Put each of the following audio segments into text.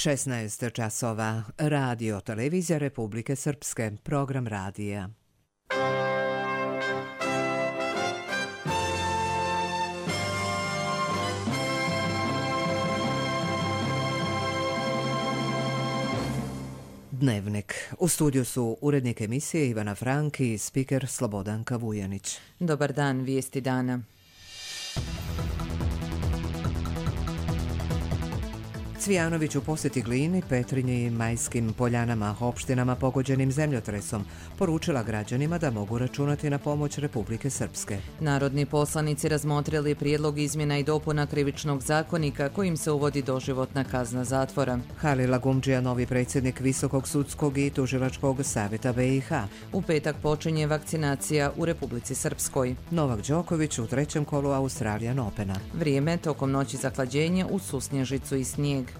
16 časova. Radio televizija Republike Srpske. Program radija. Dnevnik. U studiju su urednik emisije Ivana Frank i spiker Slobodanka Vujanić. Dobar dan, vijesti dana. Cvijanović u posjeti Glini, Petrinji i Majskim Poljanama, opštinama pogođenim zemljotresom, poručila građanima da mogu računati na pomoć Republike Srpske. Narodni poslanici razmotrili prijedlog izmjena i dopuna krivičnog zakonika kojim se uvodi doživotna kazna zatvora. Halil Agumdžija, novi predsjednik Visokog sudskog i tužilačkog savjeta BiH. U petak počinje vakcinacija u Republici Srpskoj. Novak Đoković u trećem kolu Australian Opena. Vrijeme tokom noći zahlađenje uz susnježicu i snijeg.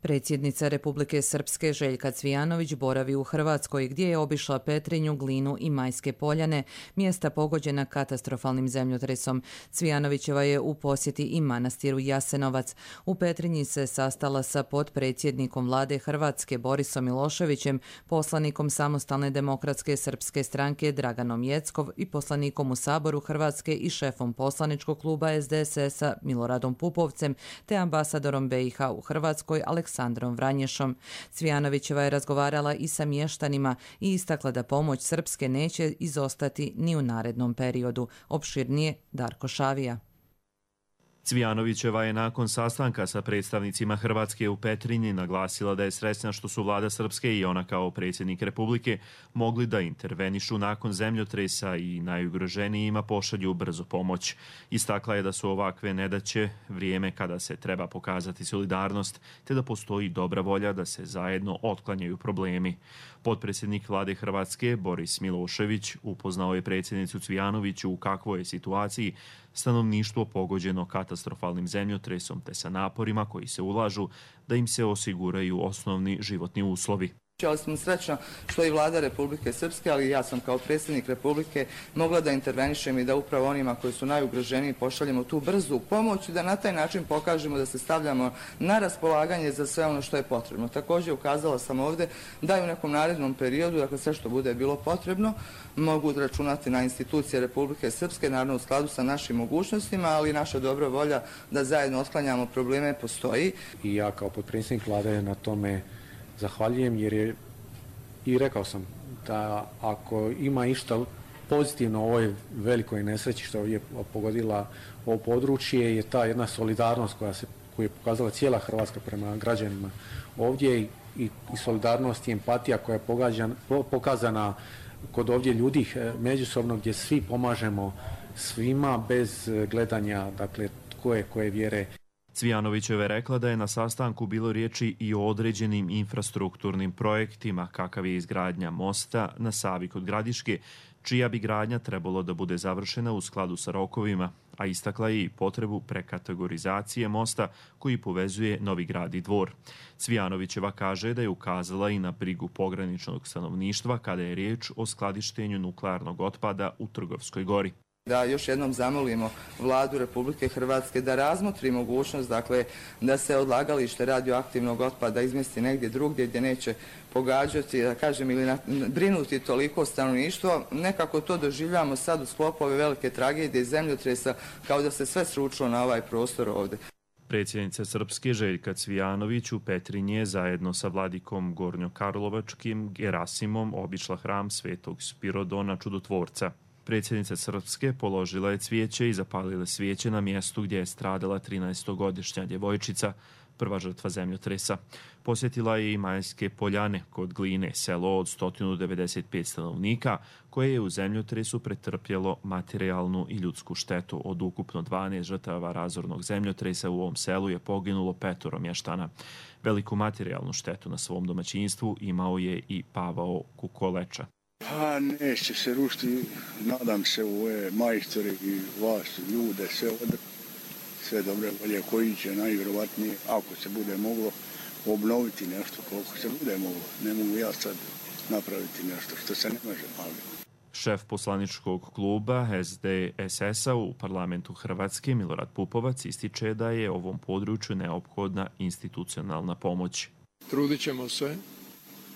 Predsjednica Republike Srpske Željka Cvijanović boravi u Hrvatskoj gdje je obišla Petrinju, Glinu i Majske Poljane, mjesta pogođena katastrofalnim zemljotresom. Cvijanovićeva je u posjeti i manastiru Jasenovac. U Petrinji se sastala sa potpredsjednikom vlade Hrvatske Borisom Miloševićem, poslanikom Samostalne demokratske srpske stranke Draganom Jeckov i poslanikom u Saboru Hrvatske i šefom poslaničkog kluba SDSS-a Miloradom Pupovcem te ambasadorom BiH u Hrvatskoj Aleksandrom Vranješom. Cvijanovićeva je razgovarala i sa mještanima i istakla da pomoć Srpske neće izostati ni u narednom periodu. Opširnije Darko Šavija. Cvijanovićeva je nakon sastanka sa predstavnicima Hrvatske u Petrinji naglasila da je sretna što su vlada Srpske i ona kao predsjednik Republike mogli da intervenišu nakon zemljotresa i najugroženijima pošalju brzo pomoć. Istakla je da su ovakve nedaće vrijeme kada se treba pokazati solidarnost, te da postoji dobra volja da se zajedno otklanjaju problemi. Potpredsjednik vlade Hrvatske Boris Milošević upoznao je predsjednicu Cvijanoviću u kakvoj je situaciji stanovništvo pogođeno katastrofalnim zemljotresom te sa naporima koji se ulažu da im se osiguraju osnovni životni uslovi. Ali sam srećna što i vlada Republike Srpske, ali ja sam kao predsjednik Republike mogla da intervenišem i da upravo onima koji su najugroženiji pošaljemo tu brzu pomoć i da na taj način pokažemo da se stavljamo na raspolaganje za sve ono što je potrebno. Također ukazala sam ovdje da i u nekom narednom periodu, dakle sve što bude bilo potrebno, mogu računati na institucije Republike Srpske, naravno u skladu sa našim mogućnostima, ali naša dobra volja da zajedno otklanjamo probleme postoji. I ja kao potpredsjednik vlade na tome zahvaljujem jer je, i rekao sam da ako ima išta pozitivno u ovoj velikoj nesreći što je pogodila ovo područje je ta jedna solidarnost koju je pokazala cijela Hrvatska prema građanima ovdje i solidarnost i empatija koja je pokazana kod ovdje ljudi međusobno gdje svi pomažemo svima bez gledanja dakle tko je koje vjere. Cvijanovićeva je rekla da je na sastanku bilo riječi i o određenim infrastrukturnim projektima, kakav je izgradnja mosta na Savi kod Gradiške, čija bi gradnja trebalo da bude završena u skladu sa rokovima, a istakla je i potrebu prekategorizacije mosta koji povezuje Novi Grad i Dvor. Cvijanovićeva kaže da je ukazala i na brigu pograničnog stanovništva kada je riječ o skladištenju nuklearnog otpada u Trgovskoj gori. Da još jednom zamolimo vladu Republike Hrvatske da razmotri mogućnost, dakle, da se odlagalište radioaktivnog otpada izmjesti negdje drugdje gdje neće pogađati, da kažem, ili brinuti toliko stanovništvo. Nekako to doživljamo sad u sklopu ove velike tragedije zemljotresa kao da se sve sručilo na ovaj prostor ovdje. Predsjednica Srpske Željka Cvijanović u Petrinje zajedno sa vladikom Gornjokarlovačkim Gerasimom obišla hram Svetog Spirodona Čudotvorca. Predsjednica Srpske položila je cvijeće i zapalila svijeće na mjestu gdje je stradala 13-godišnja djevojčica, prva žrtva zemljotresa. Posjetila je i Majske Poljane kod Gline, selo od 195 stanovnika, koje je u zemljotresu pretrpjelo materijalnu i ljudsku štetu. Od ukupno 12 žrtava razornog zemljotresa u ovom selu je poginulo 5 mještana. Veliku materijalnu štetu na svom domaćinstvu imao je i Pavao Kukoleča. Pa neće se rušiti, nadam se u ove majstore i vas, ljude, sve dobre volje koji će najvjerovatnije, ako se bude moglo, obnoviti nešto koliko se bude moglo. Ne mogu ja sad napraviti nešto što se ne može, ali Šef poslaničkog kluba SDSS-a u parlamentu Hrvatske Milorad Pupovac ističe da je ovom području neophodna institucionalna pomoć. Trudit ćemo se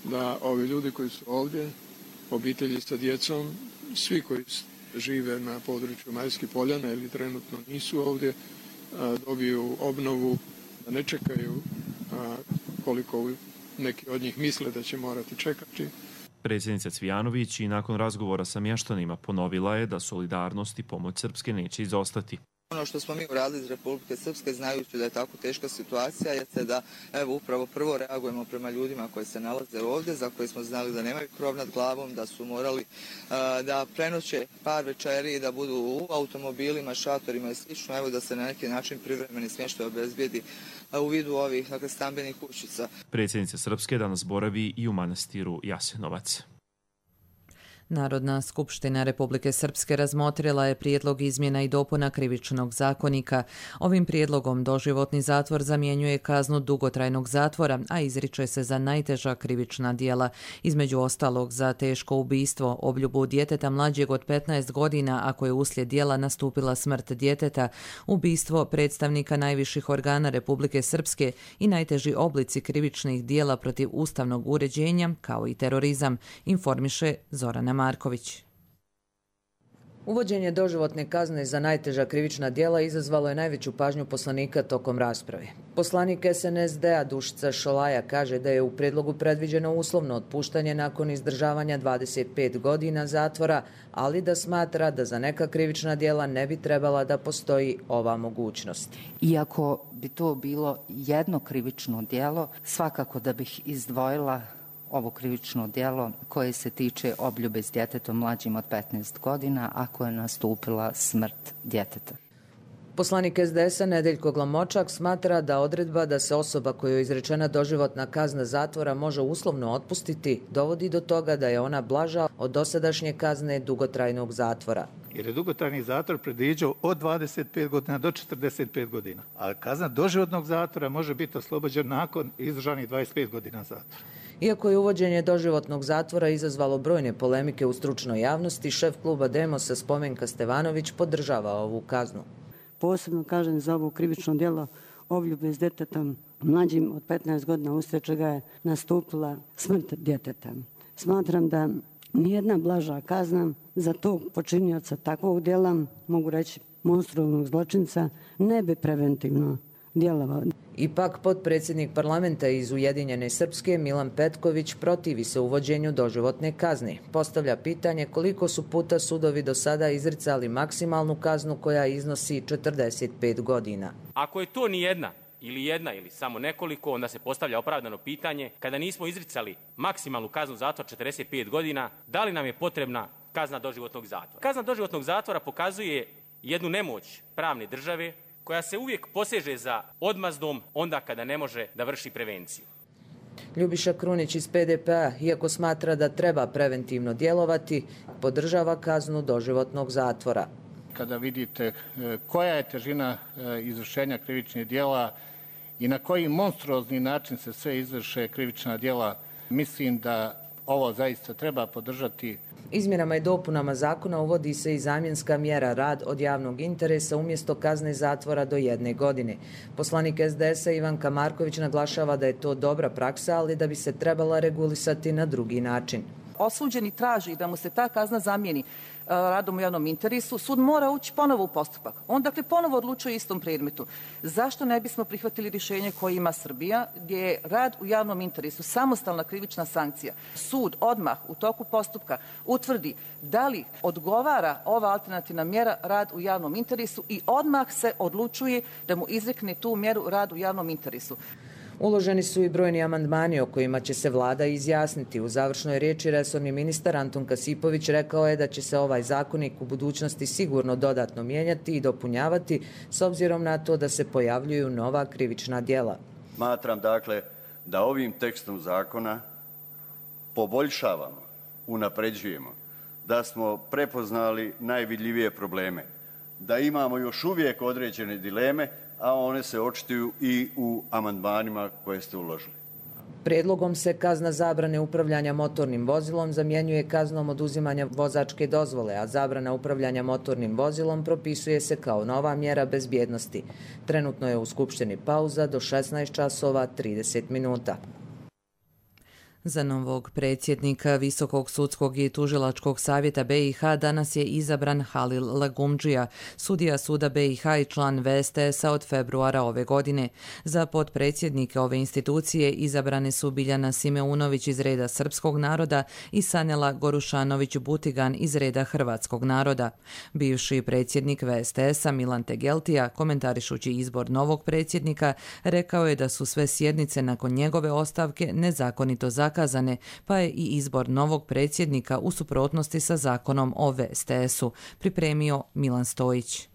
da ovi ljudi koji su ovdje, obitelji sa djecom, svi koji žive na području Majskih Poljana ili trenutno nisu ovdje, dobiju obnovu, da ne čekaju koliko neki od njih misle da će morati čekati. Predsjednica Cvijanović i nakon razgovora sa mještanima ponovila je da solidarnost i pomoć Srpske neće izostati. Ono što smo mi uradili iz Republike Srpske, znajući da je tako teška situacija, jeste da upravo prvo reagujemo prema ljudima koji se nalaze ovdje, za koje smo znali da nemaju krov nad glavom, da su morali da prenoće par večeri, da budu u automobilima, šatorima i slično, evo da se na neki način privremeni smještaj obezbijedi u vidu ovih stambenih kućica. Predsjednica Srpske danas boravi i u manastiru Jasenovac. Narodna skupština Republike Srpske razmotrila je prijedlog izmjena i dopuna Krivičnog zakonika. Ovim prijedlogom doživotni zatvor zamjenjuje kaznu dugotrajnog zatvora, a izriče se za najteža krivična djela, između ostalog za teško ubistvo, obljubu djeteta mlađeg od 15 godina ako je uslijed djela nastupila smrt djeteta, ubistvo predstavnika najviših organa Republike Srpske i najteži oblici krivičnih djela protiv ustavnog uređenja, kao i terorizam, informiše Zorana Marković. Uvođenje doživotne kazne za najteža krivična djela izazvalo je najveću pažnju poslanika tokom rasprave. Poslanik SNSD-a Dušica Šolaja kaže da je u predlogu predviđeno uslovno otpuštanje nakon izdržavanja 25 godina zatvora, ali da smatra da za neka krivična djela ne bi trebala da postoji ova mogućnost. Iako bi to bilo jedno krivično djelo, svakako da bih izdvojila ovo krivično djelo koje se tiče obljube s djetetom mlađim od 15 godina ako je nastupila smrt djeteta. Poslanik SDS-a Nedeljko Glamočak smatra da odredba da se osoba kojoj je izrečena doživotna kazna zatvora može uslovno otpustiti dovodi do toga da je ona blaža od dosadašnje kazne dugotrajnog zatvora. Jer je dugotrajni zatvor predviđao od 25 godina do 45 godina, a kazna doživotnog zatvora može biti oslobođena nakon izdržanih 25 godina zatvora. Iako je uvođenje doživotnog zatvora izazvalo brojne polemike u stručnoj javnosti, šef kluba Demosa Spomenka Stevanović podržava ovu kaznu. Posebno kažem za ovo krivično djelo obljube s djetetom mlađim od 15 godina uslijed čega je nastupila smrt djeteta. Smatram da nijedna blaža kazna za tog počinioca takvog djela, mogu reći monstruoznog zločinca, ne bi preventivno djelovao. Ipak, potpredsjednik parlamenta iz Ujedinjene Srpske Milan Petković protivi se uvođenju doživotne kazne. Postavlja pitanje koliko su puta sudovi do sada izricali maksimalnu kaznu koja iznosi 45 godina. Ako je to jedna ili samo nekoliko, onda se postavlja opravdano pitanje kada nismo izricali maksimalnu kaznu zatvora 45 godina, da li nam je potrebna kazna doživotnog zatvora. Kazna doživotnog zatvora pokazuje jednu nemoć pravne države koja se uvijek poseže za odmazdom onda kada ne može da vrši prevenciju. Ljubiša Krunić iz PDP-a, iako smatra da treba preventivno djelovati, podržava kaznu doživotnog zatvora. Kada vidite koja je težina izvršenja krivičnih djela i na koji monstruozni način se sve izvrše krivična djela, mislim da ovo zaista treba podržati. Izmjenama i dopunama zakona uvodi se i zamjenska mjera rad od javnog interesa umjesto kazne zatvora do 1 godine. Poslanik SDS-a Ivanka Marković naglašava da je to dobra praksa, ali da bi se trebala regulisati na drugi način. Osuđeni traži da mu se ta kazna zamijeni radom u javnom interesu, sud mora ući ponovo u postupak. On dakle ponovo odlučuje istom predmetu. Zašto ne bismo prihvatili rješenje koje ima Srbija, gdje je rad u javnom interesu samostalna krivična sankcija? Sud odmah u toku postupka utvrdi da li odgovara ova alternativna mjera rad u javnom interesu i odmah se odlučuje da mu izrekne tu mjeru rad u javnom interesu. Uloženi su i brojni amandmani o kojima će se vlada izjasniti. U završnoj riječi resorni ministar Antun Kasipović rekao je da će se ovaj zakonik u budućnosti sigurno dodatno mijenjati i dopunjavati s obzirom na to da se pojavljuju nova krivična djela. Smatram dakle da ovim tekstom zakona poboljšavamo, unapređujemo, da smo prepoznali najvidljivije probleme, da imamo još uvijek određene dileme, a one se očituju i u amandmanima koje ste uložili. Prijedlogom se kazna zabrane upravljanja motornim vozilom zamjenjuje kaznom oduzimanja vozačke dozvole, a zabrana upravljanja motornim vozilom propisuje se kao nova mjera bezbjednosti. Trenutno je u Skupštini pauza do 16 časova 30 minuta. Za novog predsjednika Visokog sudskog i tužilačkog savjeta BiH danas je izabran Halil Lagumdžija, sudija suda BiH i član VSTS-a od februara ove godine. Za potpredsjednike ove institucije izabrane su Biljana Simeunović iz reda srpskog naroda i Sanela Gorušanović-Butigan iz reda hrvatskog naroda. Bivši predsjednik VSTS-a Milan Tegeltija, komentarišući izbor novog predsjednika, rekao je da su sve sjednice nakon njegove ostavke nezakonito zakazane, pa je i izbor novog predsjednika u suprotnosti sa zakonom o VSTS-u, pripremio Milan Stojić.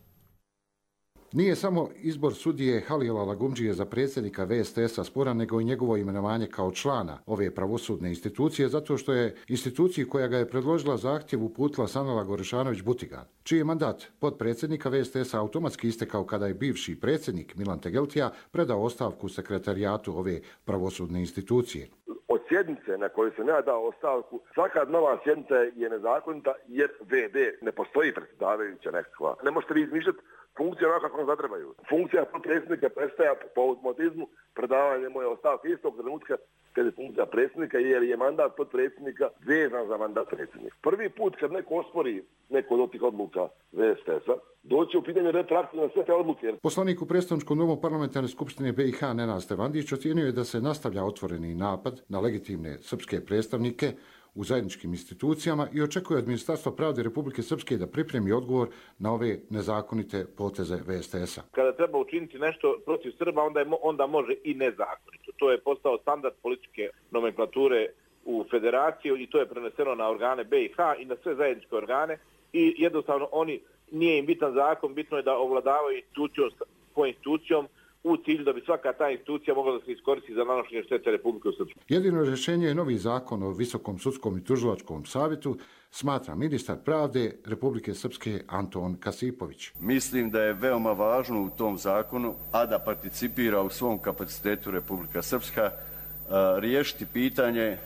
Nije samo izbor sudije Halila Lagumdžije za predsjednika VSTS-a sporan, nego i njegovo imenovanje kao člana ove pravosudne institucije, zato što je instituciji koja ga je predložila zahtjev uputila Sanela Gorušanović-Butigan, čiji je mandat potpredsjednika VSTS-a automatski istekao kada je bivši predsjednik Milan Tegeltija predao ostavku sekretarijatu ove pravosudne institucije. Od sjednice na kojoj sam ja dao ostavku, svaka nova sjednica je nezakonita jer VD ne postoji predsjedavajuća nekakva. Ne možete vi izmišljati funkcije onako kako vam zatrebaju. Funkcija potpredsjednika prestaje po automatizmu predavanje moje ostavke istog trenutka kad je funkcija predsjednika, jer je mandat potpredsjednika vezan za mandat predsjednika. Prvi put kad neko ospori neko od tih odluka VSTS-a, doći u pitanje retroaktivno sve te odluke. Poslanik u predstavničkom domu parlamentarne skupštine BiH Nenad Stevandić ocijenio je da se nastavlja otvoreni napad na legitimne srpske predstavnike u zajedničkim institucijama i očekuje od Ministarstva pravde Republike Srpske da pripremi odgovor na ove nezakonite poteze VSTS-a. Kada treba učiniti nešto protiv Srba, onda može i nezakonito. To je postao standard političke nomenklature u federaciju i to je preneseno na organe BiH i na sve zajedničke organe i jednostavno nije im bitan zakon, bitno je da ovladavaju institucijom po institucijom u cilju da bi svaka ta institucija mogla da se iskoristi za nanošenje štete Republike Srpske. Jedino rješenje je novi zakon o Visokom sudskom i tužilačkom savjetu, smatra ministar pravde Republike Srpske Anton Kasipović. Mislim da je veoma važno u tom zakonu, a da participira u svom kapacitetu Republika Srpska, riješiti pitanje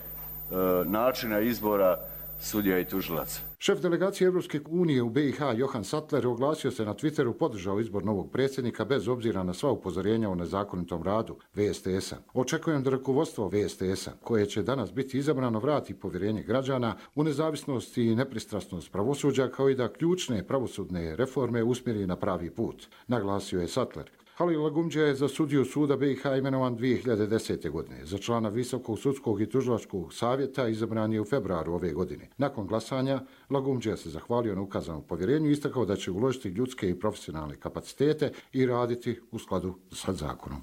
načina izbora sudija i tužilaca. Šef delegacije Evropske unije u BiH Johan Sattler oglasio se na Twitteru, podržao izbor novog predsjednika bez obzira na sva upozorenja o nezakonitom radu VSTS-a. Očekujem da rukovodstvo VSTS-a, koje će danas biti izabrano, vrati povjerenje građana u nezavisnost i nepristrasnost pravosuđa, kao i da ključne pravosudne reforme usmjeri na pravi put, naglasio je Sattler. Halil Lagumdžija je za sudiju suda BiH imenovan 2010. godine. Za člana Visokog sudskog i tužilačkog savjeta izabran je u februaru ove godine. Nakon glasanja, Lagumdžija se zahvalio na ukazanom povjerenju i istakao da će uložiti ljudske i profesionalne kapacitete i raditi u skladu sa zakonom.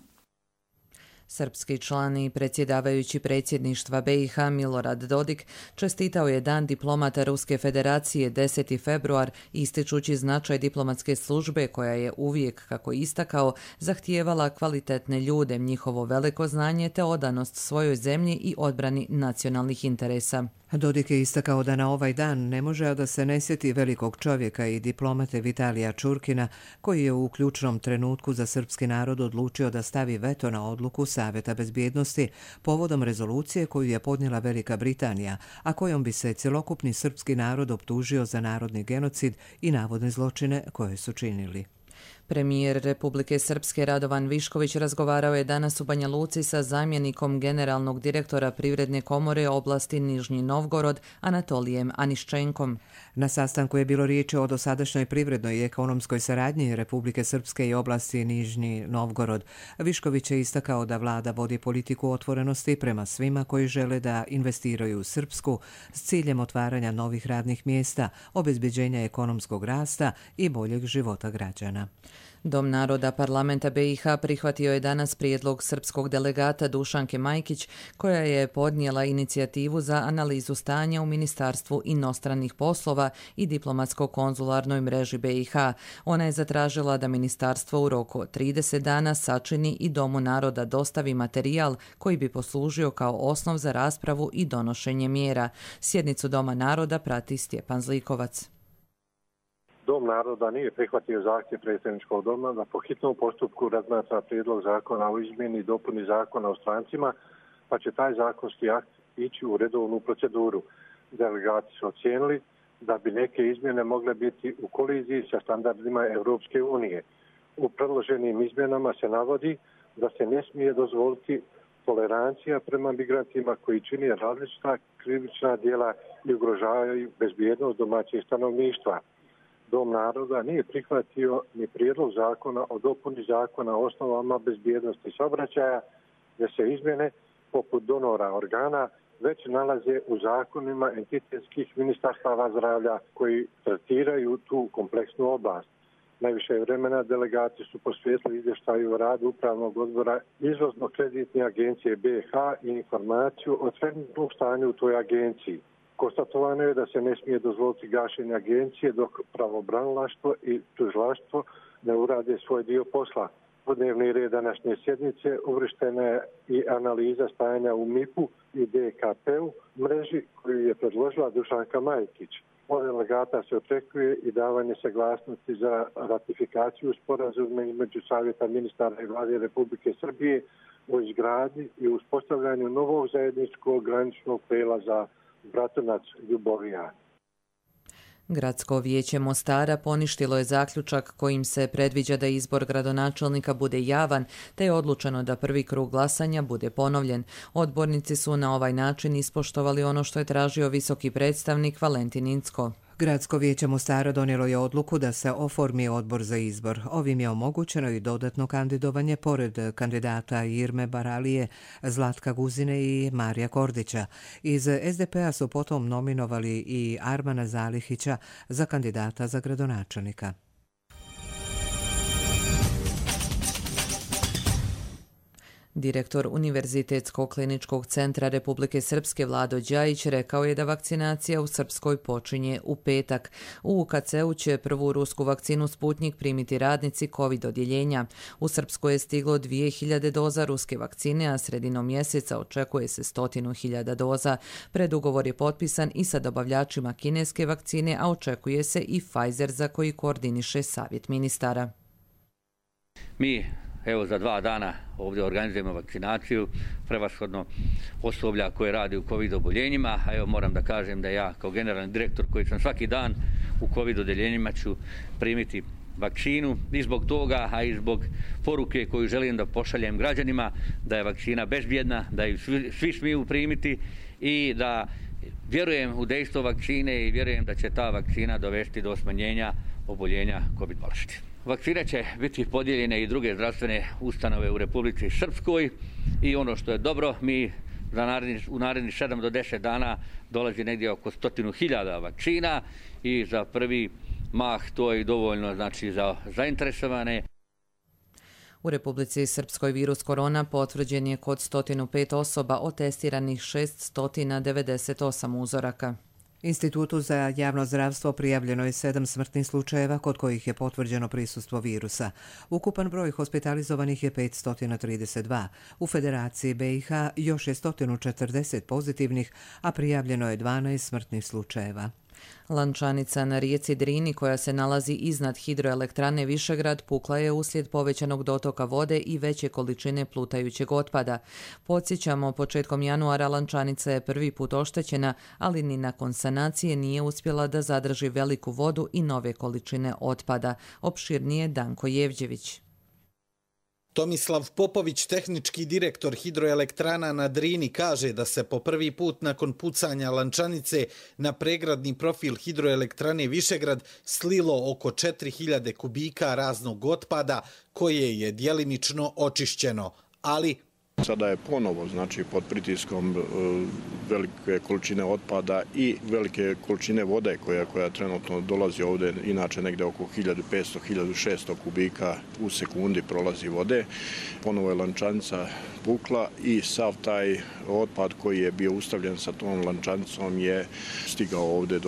Srpski član i predsjedavajući predsjedništva BiH Milorad Dodik čestitao je Dan diplomata Ruske federacije 10. februar, ističući značaj diplomatske službe koja je uvijek, kako istakao, zahtijevala kvalitetne ljude, njihovo veliko znanje te odanost svojoj zemlji i odbrani nacionalnih interesa. Dodik je istakao da na ovaj dan ne može da se ne sjeti velikog čovjeka i diplomate Vitalija Čurkina, koji je u ključnom trenutku za srpski narod odlučio da stavi veto na odluku Savjeta bezbjednosti povodom rezolucije koju je podnijela Velika Britanija, a kojom bi se cjelokupni srpski narod optužio za narodni genocid i navodne zločine koje su činili. Premijer Republike Srpske Radovan Višković razgovarao je danas u Banja Luci sa zamjenikom generalnog direktora Privredne komore oblasti Nižnji Novgorod Anatolijem Aniščenkom. Na sastanku je bilo riječi o dosadašnjoj privrednoj i ekonomskoj saradnji Republike Srpske i oblasti Nižnji Novgorod. Višković je istakao da vlada vodi politiku otvorenosti prema svima koji žele da investiraju u Srpsku s ciljem otvaranja novih radnih mjesta, obezbeđenja ekonomskog rasta i boljeg života građana. Dom naroda parlamenta BiH prihvatio je danas prijedlog srpskog delegata Dušanke Majkić, koja je podnijela inicijativu za analizu stanja u Ministarstvu inostranih poslova i diplomatsko-konzularnoj mreži BiH. Ona je zatražila da ministarstvo u roku od 30 dana sačini i Domu naroda dostavi materijal koji bi poslužio kao osnov za raspravu i donošenje mjera. Sjednicu Doma naroda prati Stjepan Zlikovac. Dom naroda nije prihvatio zahtjev predsjedničkog doma da po hitnom postupku razmatra prijedlog zakona o izmjeni i dopuni zakona o strancima pa će taj zakonski akt ići u redovnu proceduru. Delegati su ocijenili da bi neke izmjene mogle biti u koliziji sa standardima Europske unije. U predloženim izmjenama se navodi da se ne smije dozvoliti tolerancija prema migrantima koji čine različita krivična djela i ugrožavaju bezbjednost domaćeg stanovništva. Dom naroda nije prihvatio ni prijedlog zakona o dopuni zakona o osnovama bezbjednosti saobraćaja, jer se izmjene poput donora organa već nalaze u zakonima entitetskih ministarstava zdravlja koji tretiraju tu kompleksnu oblast. Najviše vremena delegati su posvetili izvještaju o radu Upravnog odbora Izvozno-kreditne agencije BiH i informaciju o trenutnom stanju u toj agenciji. Konstatovano je da se ne smije dozvoliti gašenje agencije dok pravobranilaštvo i tužilaštvo ne urade svoj dio posla. U dnevni red današnje sjednice uvrštena je i analiza stanja u MIP-u i DKP-u mreži koju je predložila Dušanka Majkić. Od delegata se očekuje i davanje saglasnosti za ratifikaciju sporazuma između Savjeta ministara i Vlade Republike Srbije o izgradnji i uspostavljanju novog zajedničkog graničnog prelaza Bratunac-Ljubovija. Gradsko vijeće Mostara poništilo je zaključak kojim se predviđa da izbor gradonačelnika bude javan, te je odlučeno da prvi krug glasanja bude ponovljen. Odbornici su na ovaj način ispoštovali ono što je tražio visoki predstavnik Valentin Incko. Gradsko vijeće Mostara donijelo je odluku da se oformi odbor za izbor. Ovim je omogućeno i dodatno kandidovanje pored kandidata Irme Baralije, Zlatka Guzine i Marija Kordića. Iz SDP-a su potom nominovali i Armana Zalihića za kandidata za gradonačelnika. Direktor Univerzitetskog kliničkog centra Republike Srpske Vlado Đajić rekao je da vakcinacija u Srpskoj počinje u petak. U UKC-u će prvu rusku vakcinu Sputnjik primiti radnici COVID odjeljenja. U Srpskoj je stiglo 2000 doza ruske vakcine, a sredinom mjeseca očekuje se 100.000 doza. Predugovor je potpisan i sa dobavljačima kineske vakcine, a očekuje se i Pfizer za koji koordiniše Savjet ministara. Evo za 2 dana ovdje organizujemo vakcinaciju, prevashodno osoblja koje radi u COVID oboljenjima, a evo moram da kažem da ja kao generalni direktor koji sam svaki dan u COVID odeljenjima ću primiti vakcinu i zbog toga, a i zbog poruke koju želim da pošaljem građanima da je vakcina bezbjedna, da ju svi smiju primiti i da vjerujem u dejstvo vakcine i vjerujem da će ta vakcina dovesti do smanjenja oboljenja COVID bolesti. Vakcine će biti podijeljene i druge zdravstvene ustanove u Republici Srpskoj i ono što je dobro, mi u narednih 7 do 10 dana dolazi negdje oko 100.000 vakcina i za prvi mah to je dovoljno znači za zainteresovane. U Republici Srpskoj virus korona potvrđen je kod 105 osoba od testiranih 698 uzoraka. Institutu za javno zdravstvo prijavljeno je 7 smrtnih slučajeva kod kojih je potvrđeno prisustvo virusa. Ukupan broj hospitalizovanih je 532. U Federaciji BiH još je 140 pozitivnih, a prijavljeno je 12 smrtnih slučajeva. Lančanica na rijeci Drini koja se nalazi iznad hidroelektrane Višegrad pukla je uslijed povećanog dotoka vode i veće količine plutajućeg otpada. Podsjećamo, početkom januara Lančanica je prvi put oštećena, ali ni nakon sanacije nije uspjela da zadrži veliku vodu i nove količine otpada. Opširnije Danko Jevđević. Tomislav Popović, tehnički direktor hidroelektrana na Drini, kaže da se po prvi put nakon pucanja Lančanice na pregradni profil hidroelektrane Višegrad slilo oko 4000 kubika raznog otpada koje je djelimično očišćeno, ali sada je ponovo pod pritiskom velike količine otpada i velike količine vode koja trenutno dolazi ovdje, inače negdje oko 1500-1600 kubika u sekundi prolazi vode. Ponovo je Lančanica pukla i sav taj otpad koji je bio ustavljen sa tom lančanicom je stigao ovdje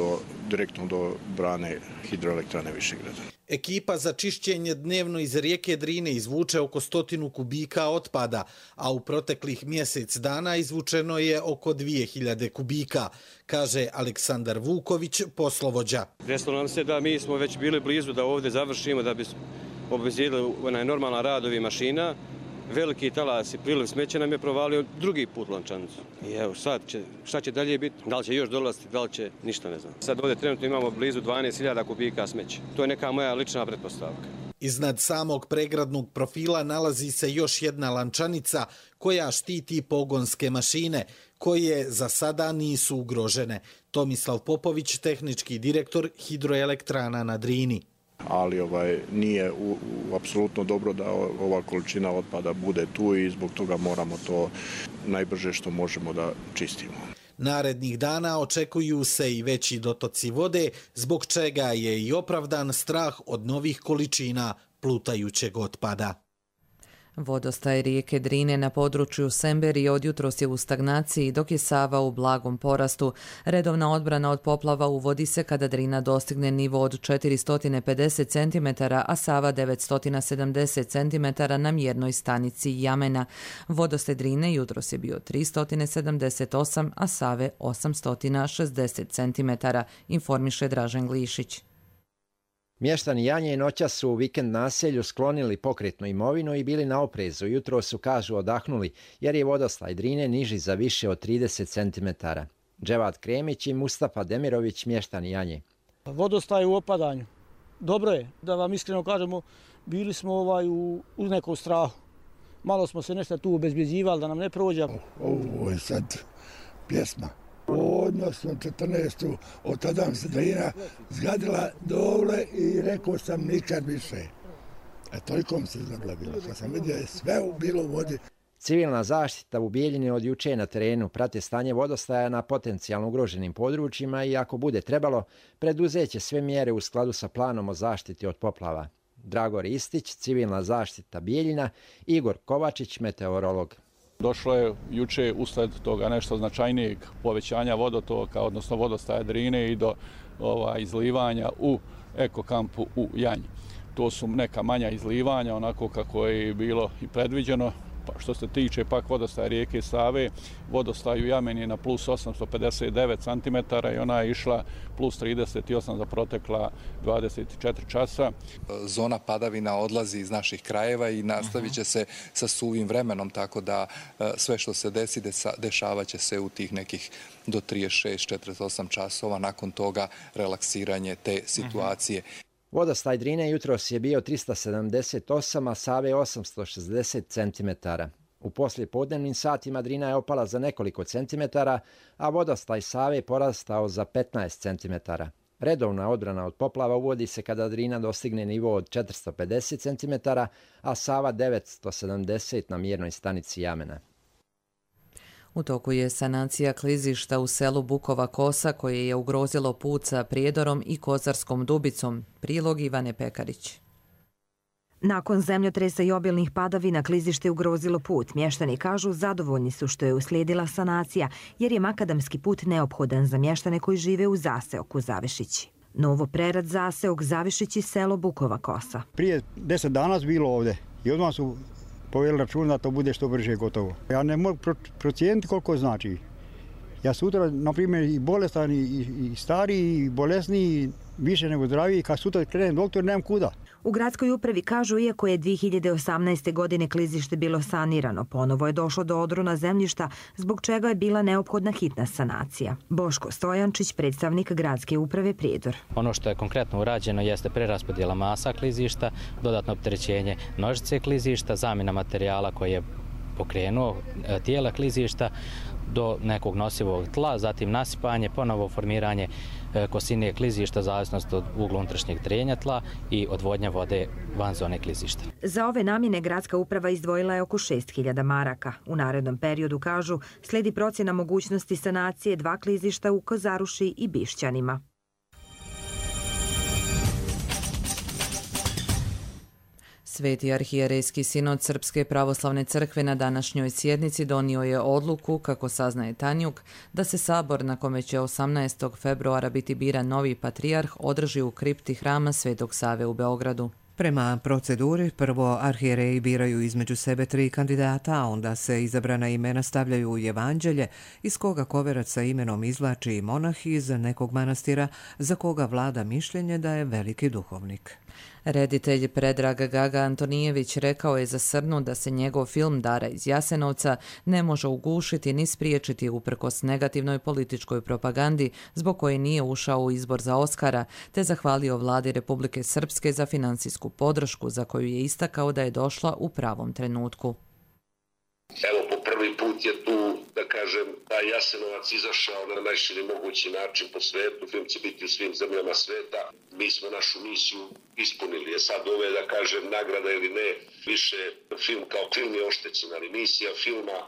direktno do brane hidroelektrane Višegrada. Ekipa za čišćenje dnevno iz rijeke Drine izvuče oko 100 kubika otpada, a u proteklih mjesec dana izvučeno je oko 2000 kubika, kaže Aleksandar Vuković, poslovođa. Desilo nam se da mi smo već bili blizu da ovdje završimo, da bi obezbijedili normalan rad ovih mašina veliki talas i priliv smeća nam je provalio drugi put lančanicu. I evo sad šta će dalje biti, da li će još dolaziti, da li će, ništa ne znam. Sad ovdje trenutno imamo blizu 12.000 kubika smeća. To je neka moja lična pretpostavka. Iznad samog pregradnog profila nalazi se još jedna lančanica koja štiti pogonske mašine, koje za sada nisu ugrožene. Tomislav Popović, tehnički direktor Hidroelektrana na Drini. Ali nije apsolutno dobro da ova količina otpada bude tu i zbog toga moramo to najbrže što možemo da čistimo. Narednih dana očekuju se i veći dotoci vode, zbog čega je i opravdan strah od novih količina plutajućeg otpada. Vodostaj rijeke Drine na području Semberije od jutros je u stagnaciji, dok je Sava u blagom porastu. Redovna odbrana od poplava uvodi se kada Drina dostigne nivo od 450 cm, a Sava 970 cm na mjernoj stanici Jamena. Vodostaj Drine jutros je bio 378, a Save 860 cm, informiše Dražen Glišić. Mještani Janje i noća su u vikend naselju sklonili pokretnu imovinu i bili na oprezu. Jutro su, kažu, odahnuli jer je vodostaj Drine niži za više od 30 cm. Dževat Kremić i Mustafa Demirović, mještani Janje. Vodostaj u opadanju. Dobro je, da vam iskreno kažemo, bili smo u nekom strahu. Malo smo se nešto tu obezbjeđivali da nam ne prođe. Ovo je sad pjesma. Odnosno 14. od tada se Drina zgadila dole i rekao sam nikad više. Toliko mi se zablabilo. Kad sam vidio je sve bilo u vodi. Civilna zaštita u Bijeljini od juče na terenu prate stanje vodostaja na potencijalno ugroženim područjima i ako bude trebalo, preduzeće sve mjere u skladu sa planom o zaštiti od poplava. Dragor Istić, civilna zaštita Bijeljina, Igor Kovačić, meteorolog. Došlo je juče usled toga nešto značajnijeg povećanja vodotoka, odnosno vodostaja Drine i do izlivanja u ekokampu u Janji. To su neka manja izlivanja, onako kako je bilo i predviđeno. Što se tiče pak vodostaja rijeke Save, vodostaj u Jameni je na plus 859 cm i ona je išla plus 38 za protekla 24 časa. Zona padavina odlazi iz naših krajeva i nastavit će se sa suvim vremenom, tako da sve što se desi, dešavat će se u tih nekih do 36-48 časova. Nakon toga relaksiranje te situacije. Vodostaj Drine jutros je bio 378, a Save 860 cm. U poslijepodnevnim satima Drina je opala za nekoliko centimetara, a vodostaj Save porastao za 15 cm. Redovna odbrana od poplava uvodi se kada Drina dostigne nivo od 450 cm, a Sava 970 na mjernoj stanici Jamena. U toku je sanacija klizišta u selu Bukova Kosa koje je ugrozilo put sa Prijedorom i Kozarskom Dubicom. Prilog Ivane Pekarić. Nakon zemljotresa i obilnih padavina klizište ugrozilo put. Mještani kažu zadovoljni su što je uslijedila sanacija jer je makadamski put neophodan za mještane koji žive u zaseoku Zavišići. Novo Prerad, zaseok Zavišići, selo Bukova Kosa. Prije 10 dana bilo ovdje i odmah su poveli račun da to bude što brže gotovo. Ja ne mogu procijeniti koliko znači. Ja sutra, na primjer, i bolestan, i stariji, i bolesniji, više nego zdraviji, kad sutra krenem doktor, nemam kuda. U gradskoj upravi kažu, iako je 2018. godine klizište bilo sanirano, ponovo je došlo do odrona zemljišta, zbog čega je bila neophodna hitna sanacija. Boško Stojančić, predstavnik gradske uprave Prijedor. Ono što je konkretno urađeno jeste preraspodjela masa klizišta, dodatno opterećenje nožice klizišta, zamjena materijala koji je pokrenuo tijela klizišta do nekog nosivog tla, zatim nasipanje, ponovo formiranje kosine klizišta, zavisnost od ugla unutrašnjeg trenja tla i odvodnja vode van zone klizišta. Za ove namjene gradska uprava izdvojila je oko 6.000 maraka. U narednom periodu, kažu, slijedi procjena mogućnosti sanacije 2 klizišta u Kozaruši i Bišćanima. Sveti arhijerejski sinod Srpske pravoslavne crkve na današnjoj sjednici donio je odluku, kako saznaje Tanjuk, da se sabor na kome će 18. februara biti biran novi patrijarh održi u kripti hrama Svetog Save u Beogradu. Prema proceduri, prvo arhijereji biraju između sebe 3 kandidata, a onda se izabrana imena stavljaju u evanđelje, iz koga koverac sa imenom izvlači monah iz nekog manastira za koga vlada mišljenje da je veliki duhovnik. Reditelj Predrag Gaga Antonijević rekao je za Srnu da se njegov film Dara iz Jasenovca ne može ugušiti ni spriječiti uprkos negativnoj političkoj propagandi zbog koje nije ušao u izbor za Oskara, te zahvalio vladi Republike Srpske za financijsku podršku za koju je istakao da je došla u pravom trenutku. Evo, po prvi put je tu, da kažem, taj Jasenovac izašao na najširi mogući način po svetu. Film će biti u svim zemljama sveta. Mi smo našu misiju ispunili. Je sad ove, da kažem, nagrada ili ne, više film kao film je oštećen, ali misija filma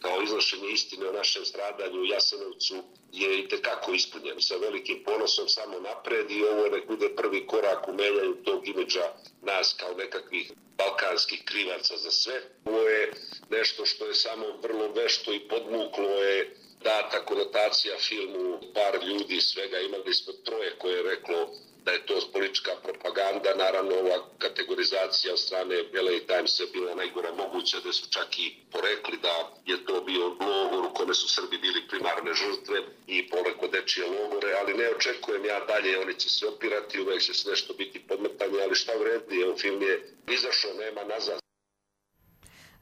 kao iznošenje istine o našem stradanju u Jasenovcu je i tekako ispunjen. Sa velikim ponosom samo napred i ovo nek bude prvi korak u menjanju tog imidža nas kao nekakvih balkanskih krivaca za sve. Ovo je nešto što je samo vrlo vešto i podmuklo je data konotacija filmu par ljudi svega. Imali smo troje koje je reklo da je to politička propaganda. Naravno, ova kategorizacija od strane LA Timesa je bila najgora moguća, da su čak i porekli da je to bio logor u kome su Srbi bili primarne žrtve i poleko dečije logore, ali ne očekujem ja dalje, oni će se opirati, uvek će se nešto biti podmetanje, ali šta vredi, evo film je izašao, nema nazad.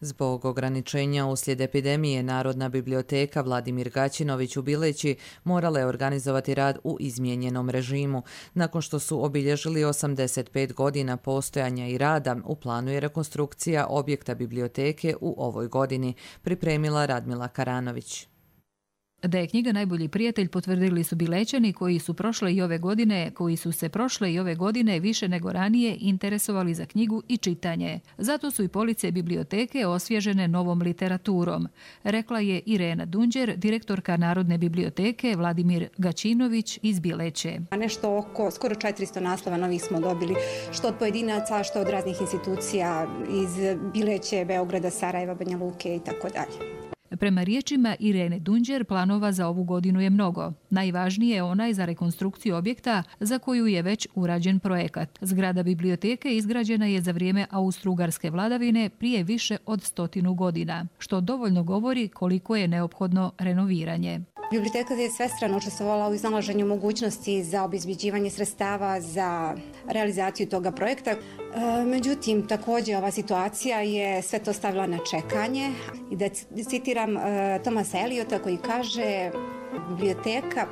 Zbog ograničenja uslijed epidemije, Narodna biblioteka Vladimir Gaćinović u Bileći morala je organizovati rad u izmijenjenom režimu. Nakon što su obilježili 85 godina postojanja i rada, u planu je rekonstrukcija objekta biblioteke u ovoj godini, pripremila Radmila Karanović. Da je knjiga najbolji prijatelj potvrdili su Bilećani koji su se prošle i ove godine više nego ranije interesovali za knjigu i čitanje. Zato su i police biblioteke osvježene novom literaturom, rekla je Irena Dunđer, direktorka Narodne biblioteke Vladimir Gaćinović iz Bileće. Nešto oko skoro 400 naslova novih smo dobili, što od pojedinaca, što od raznih institucija iz Bileće, Beograda, Sarajeva, Banja Luke i tako dalje. Prema riječima Irene Dunđer, planova za ovu godinu je mnogo. Najvažnije je onaj za rekonstrukciju objekta za koju je već urađen projekat. Zgrada biblioteke izgrađena je za vrijeme austro-ugarske vladavine prije više od 100 godina, što dovoljno govori koliko je neophodno renoviranje. Biblioteka je svestrano učestvovala u iznalaženju mogućnosti za obezbeđivanje sredstava za realizaciju toga projekta. Međutim, također ova situacija je sve to stavila na čekanje. I da citiram Thomasa Eliota koji kaže: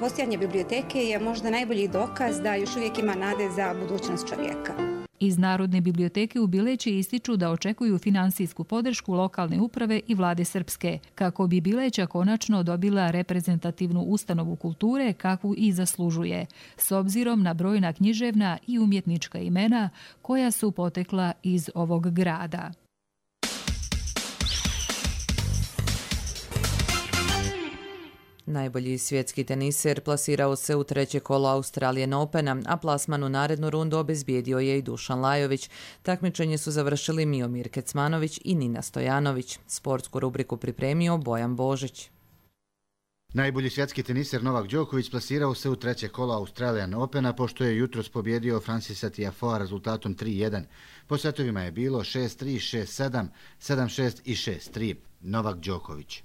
postojanje biblioteke je možda najbolji dokaz da još uvijek ima nade za budućnost čovjeka. Iz Narodne biblioteke u Bileći ističu da očekuju finansijsku podršku lokalne uprave i vlade Srpske, kako bi Bileća konačno dobila reprezentativnu ustanovu kulture kakvu i zaslužuje, s obzirom na brojna književna i umjetnička imena koja su potekla iz ovog grada. Najbolji svjetski teniser plasirao se u treće kolo Australian Opena, a plasman u narednu rundu obezbijedio je i Dušan Lajović. Takmičenje su završili Miomir Kecmanović i Nina Stojanović. Sportsku rubriku pripremio Bojan Božić. Najbolji svjetski teniser Novak Đoković plasirao se u treće kolo Australian Opena, pošto je jutros pobjedio Francisa Tiafoea rezultatom 3-1. Po setovima je bilo 6-3, 6-7, 7-6 i 6-3. Novak Đoković.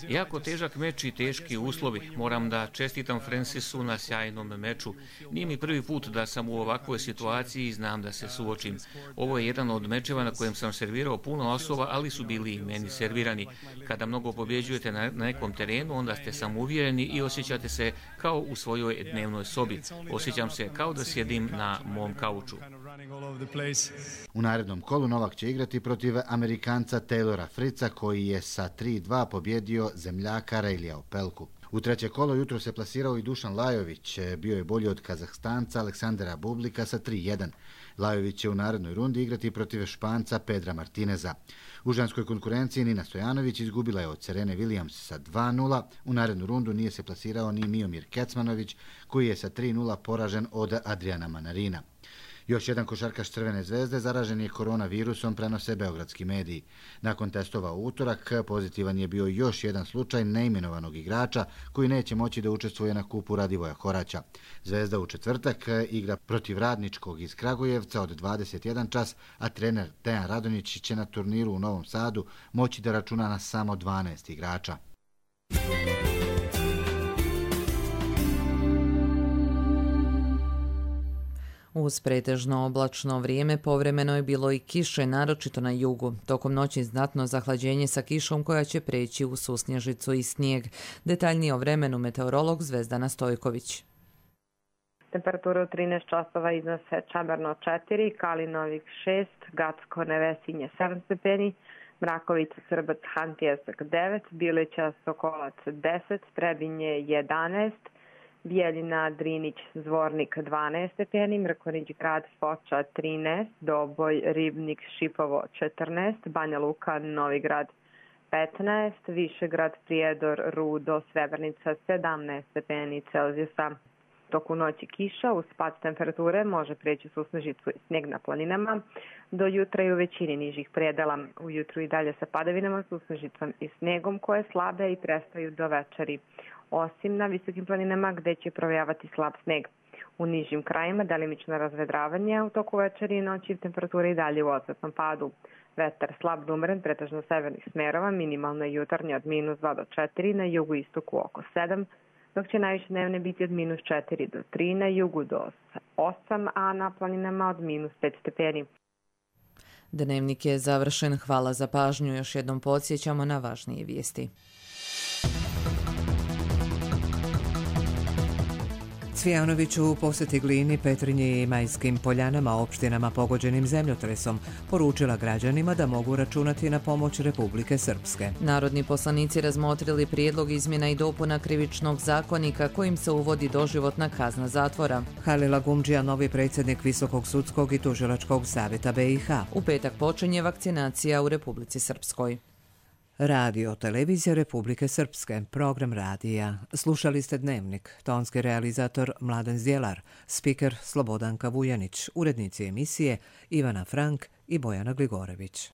Jako težak meč i teški uslovi. Moram da čestitam Francisu na sjajnom meču. Nije mi prvi put da sam u ovakvoj situaciji i znam da se suočim. Ovo je jedan od mečeva na kojem sam servirao puno osoba, ali su bili i meni servirani. Kada mnogo pobjeđujete na nekom terenu, onda ste samouvjereni i osjećate se kao u svojoj dnevnoj sobi. Osjećam se kao da sjedim na mom kauču. U narednom kolu Novak će igrati protiv Amerikanca Taylora Fritza, koji je sa 3-2 pobjedio zemljaka Rejlija Opelku. U treće kolo jutro se plasirao i Dušan Lajović, bio je bolji od Kazahstanca Aleksandra Bublika sa 3-1. Lajović će u narednoj rundi igrati protiv Španca Pedra Martineza. U ženskoj konkurenciji Nina Stojanović izgubila je od Serene Williams sa 2-0. U narednu rundu nije se plasirao ni Miomir Kecmanović, koji je sa 3-0 poražen od Adriana Manarina. Još jedan košarkaš Crvene zvezde zaražen je koronavirusom, prenose beogradski mediji. Nakon testova u utorak pozitivan je bio još jedan slučaj neimenovanog igrača koji neće moći da učestvuje na kupu Radivoja Horaća. Zvezda u četvrtak igra protiv Radničkog iz Kragujevca od 21 čas, a trener Dejan Radonjić će na turniru u Novom Sadu moći da računa na samo 12 igrača. Uz pretežno oblačno vrijeme povremeno je bilo i kiše, naročito na jugu. Tokom noći znatno zahlađenje sa kišom koja će preći u susnježicu i snijeg. Detaljnije o vremenu meteorolog Zvezdana Stojković. Temperatura u 13 časova iznose Čabarno 4, Kalinovik 6, Gacko Nevesinje 7 stepeni, Mrakovica, Srbac, Hantjesak 9, Bilića, Sokolac 10, Trebinje 11, Bijeljina, Drinić, Zvornik 12 stepeni, Mrkonić grad, Foča 13, Doboj, Ribnik, Šipovo 14, Banja Luka, Novi grad 15, Višegrad, Prijedor, Rudo, Srebrnica 17 stepeni Celzijusa. Toku noći kiša, uz pad temperature može prijeći susnežicu i snijeg na planinama. Do jutra i u većini nižih predela. Ujutru i dalje sa padavinama, susnežicom i snijegom koje slabe i prestaju do večeri. Osim na visokim planinama gdje će provejavati slab snijeg. U nižim krajima delimično razvedravanje, u toku večeri i noći temperature i dalje u odsvetnom padu. Vetar slab do umeren, pretežno severnih smerova, minimalno jutarnje od -2 do 4, na jugu istoku oko 7, dok će najviše dnevne biti od -4 do 3, na jugu do 8, a na planinama od -5 stepeni. Dnevnik je završen. Hvala za pažnju. Još jednom podsjećamo na važnije vijesti. Cvijanoviću u posjeti Glini, Petrinji i Majskim Poljanama, opštinama pogođenim zemljotresom, poručila građanima da mogu računati na pomoć Republike Srpske. Narodni poslanici razmotrili prijedlog izmjena i dopuna krivičnog zakonika kojim se uvodi doživotna kazna zatvora. Halil Agumdžija, novi predsjednik Visokog sudskog i tužilačkog savjeta BiH. U petak počinje vakcinacija u Republici Srpskoj. Radio Televizija Republike Srpske, program radija. Slušali ste Dnevnik, tonski realizator Mladen Zdjelar, spiker Slobodanka Vujanić, urednici emisije Ivana Frank i Bojana Gligorević.